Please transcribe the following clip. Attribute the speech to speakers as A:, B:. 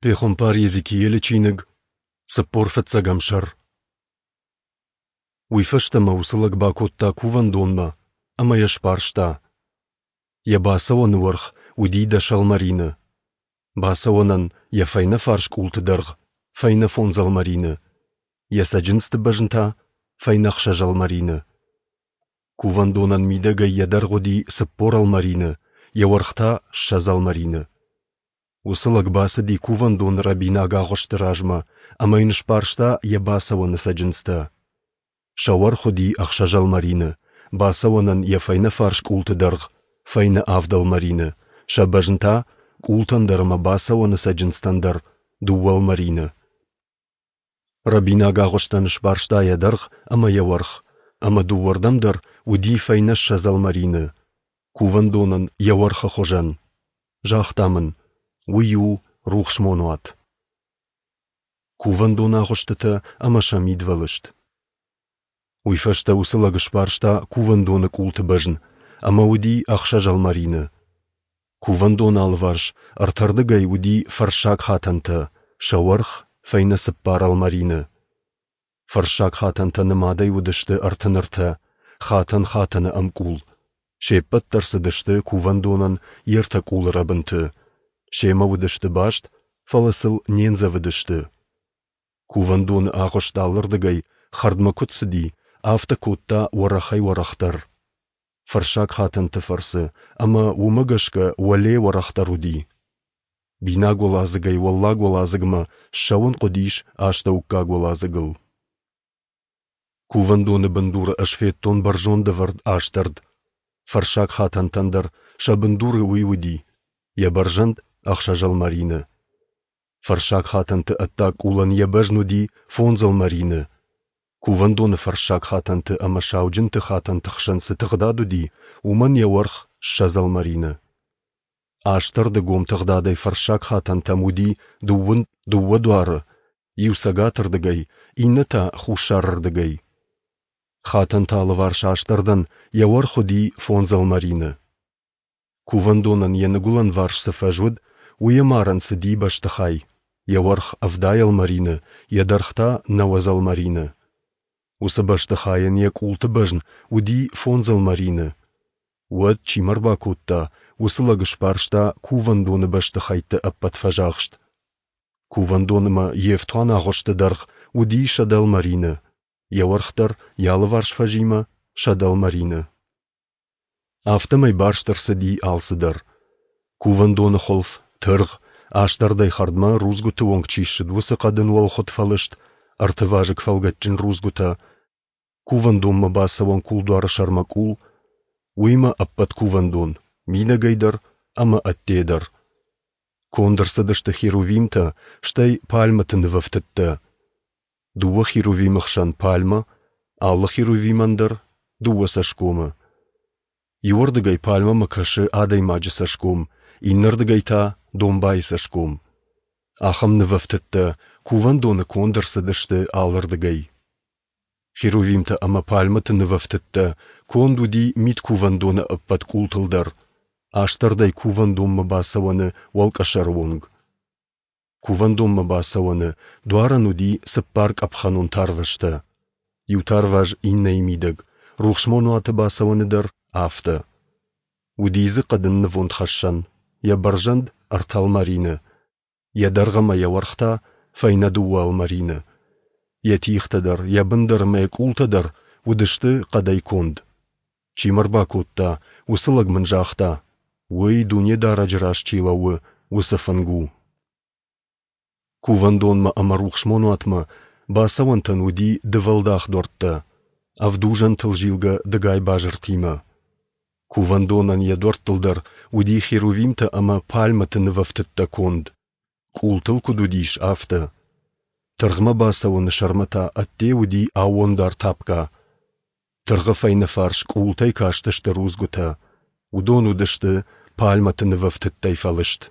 A: Пехуымпар Йезекиелы чиныг, 40 фыццӕгӕм сӕр. Уый фӕстӕ мӕ уыцы лӕг бакодта кувӕндонмӕ ӕмӕ йӕ сбарста. Йӕ бацӕуӕны уӕрх уыди 10 ӕлмӕрины. Бацӕуӕнӕн йӕ фӕйнӕ фарс къулты дӕргъ фӕйнӕ 5 ӕлмӕрины, йӕ цӕджындзты бӕзн та фӕйнӕ 6 ӕлмӕрины. Кувӕндонӕн мидӕгӕй йӕ дӕргъ уыди 40 ӕлмӕрины, йӕ уӕрх та 20 ӕлмӕрины. Уыцы лӕг бацыди кувӕндоны рӕбинаг агъуысты размӕ ӕмӕ йын сбарста йӕ бацӕуӕны цӕджындзтӕ. Сӕ уӕрх уыди 6 ӕлмӕрины, бацӕуӕнӕн йӕ фӕйнӕ фарс къулты дӕргъ фӕйнӕ 7 ӕлмӕрины, сӕ бӕзн та къултӕн дӕр ӕмӕ бацӕуӕны цӕджындзтӕн дӕр 2 ӕлмӕрины. Рӕбинаг агъуыстӕн сбарста йӕ дӕргъ ӕмӕ йӕ уӕрх, ӕмӕ дыууӕрдӕм дӕр уыди фӕйнӕ 20 ӕлмӕрины, кувӕндонӕн йӕ уӕрхы хуызӕн. Загъта мын, уый у рухсмонуат. Кувӕндоны агъуыстытӕ ӕмӕ сӕ мидвӕлыст. Уый фӕстӕ уыцы лӕг сбарста кувӕндоны къулты бӕзн, ӕмӕ уыди 6 ӕлмӕрины. Кувӕндоны алыварс ӕртӕрдыгӕй уыди фӕрссаг хатӕнтӕ, сӕ уӕрх фӕйнӕ 4 ӕлмӕрины. Фӕрссаг хатӕнтӕ нымадӕй уыдысты 33, хатӕн хатӕны ӕмкъул. Се ппӕт дӕр цыдысты кувӕндонӕн йе ртӕ къулы рӕбынты. Семӕ уыдысты баст, фӕлӕ сыл не ндзӕвыдысты. Кувӕндоны агъуыст алырдыгӕй хӕрдмӕ куыд цыди, афтӕ кодта уӕрӕхӕй-уӕрӕхдӕр. Фӕрссаг хатӕнты фӕрцы, ӕмӕ уымӕ гӕсгӕ уӕле уӕрӕхдӕр уыди. Бинаг уӕладзыгӕй уӕллаг уӕладзыгмӕ ссӕуын хъуыдис астӕуккаг уӕладзыгыл. Кувӕндоны бындуры ӕз федтон бӕрзонд ӕвӕрд астӕрд. Фӕрссаг хатӕнтӕн дӕр сӕ бындуры уый уыди, йӕ бӕрзӕнд 6 ӕлмӕрины. Фӕрссаг хатӕнты ӕддаг къулӕн йӕ бӕзн уыди 5 ӕлмӕрины. Кувӕндоны фӕрссаг хатӕнты ӕмӕ сауджынты хатӕнты хсӕн цы тыгъдад уыди, уымӕн йӕ уӕрх 20 ӕлмӕрины. Астӕрды гом тыгъдадӕй фӕрссаг хатӕнтӕм уыди 22 дуары, иу цӕгатырдыгӕй, иннӕ та хуссарырдыгӕй. Хатӕнты алыварс астӕрдӕн йӕ уӕрх уыди 5 ӕлмӕрины. Кувӕндонӕн йӕ ныгуылӕнварс цы фӕз уыд, уый ӕмарӕн цыди бӕстыхай, йӕ уӕрх 70 ӕлмӕрины, йӕ дӕргъ та 90 ӕлмӕрины. Уыцы бӕстыхайӕн йӕ къулты бӕзн уыди 5 ӕлмӕрины. Уӕд, чи мӕ рбакодта, уыцы лӕг сбарста кувӕндоны бӕстыхӕйтты ӕппӕт фӕзахст. Кувӕндоны ма йе фтуан агъуысты дӕргъ уыди 100 ӕлмӕрины, йӕ уӕрх дӕр йӕ алыварс фӕзимӕ 100 ӕлмӕрины. Афтӕмӕй барст ӕрцыди алцыдӕр. Кувӕндоны хуылф, тыргъ, астӕрдӕй хӕрдмӕ рудзгуыты онг чи ссыд, уыцы хъӕдын уӕлхуыд фӕлыст, ӕртывазыг фӕлгӕтджын рудзгуытӕ, кувӕндонмӕ бацӕуӕн кулдуары сӕрмӕ къул, уыимӕ ӕппӕт кувӕндон, мидӕгӕй дӕр ӕмӕ ӕдде дӕр. Конд ӕрцыдысты херувимтӕ, стӕй пальмӕты нывӕфтыдтӕ. 2 херувимы хсӕн пальмӕ, алы херувимӕн дӕр 2 цӕсгомы. Иуӕрдыгӕй пальмӕмӕ кӕсы адӕймаджы цӕсгом, иннӕрдыгӕй та домбайы цӕсгом. Ахӕм нывӕфтыдтӕ кувӕндоны конд ӕрцыдысты алырдыгӕй. Херувимтӕ ӕмӕ пальмӕты нывӕфтыдтӕ конд уыди мидкувӕндоны ӕппӕт къултыл дӕр, астӕрдӕй кувӕндонмӕ бацӕуӕны уӕлкъӕсӕры онг. Кувӕндонмӕ бацӕуӕны дуарӕн уыди 4 къӕпхӕнон тарвӕзтӕ. Иу тарваз иннӕйы мидӕг, рухсмонуаты бацӕуӕны дӕр афтӕ. Уыди дзы хъӕдын нывондхӕссӕн, йӕ бӕрзӕнд 3 ӕлмӕрины, йӕ дӕргъ ӕмӕ йӕ уӕрх та фӕйнӕ 2 ӕлмӕрины. Йӕ тигътӕ дӕр, йӕ бын дӕр ӕмӕ йӕ къултӕ дӕр уыдысты хъӕдӕй конд. Чи мӕ рбакодта, уыцы лӕг мын загъта, уый Дунедарӕджы раз чи лӕууы, уыцы фынг у. Кувӕндонмӕ ӕмӕ рухсмонуатмӕ бацӕуӕнтӕн уыди дывӕлдах дуӕрттӕ, ӕвдузӕнтыл зилгӕ дыгай базыртимӕ. Кувӕндонӕн йӕ дуӕрттыл дӕр уыди херувимтӕ ӕмӕ пальмӕты нывӕфтыдтӕ конд, къултыл куыд уыдис, афтӕ. Тыргъмӕ бацӕуӕны сӕрмӕ та ӕдде уыди аууондар тапка. Тыргъы фӕйнӕ фарс къултӕй кастысты рудзгуытӕ, уыдон уыдысты пальмӕты нывӕфтыдтӕй фӕлыст.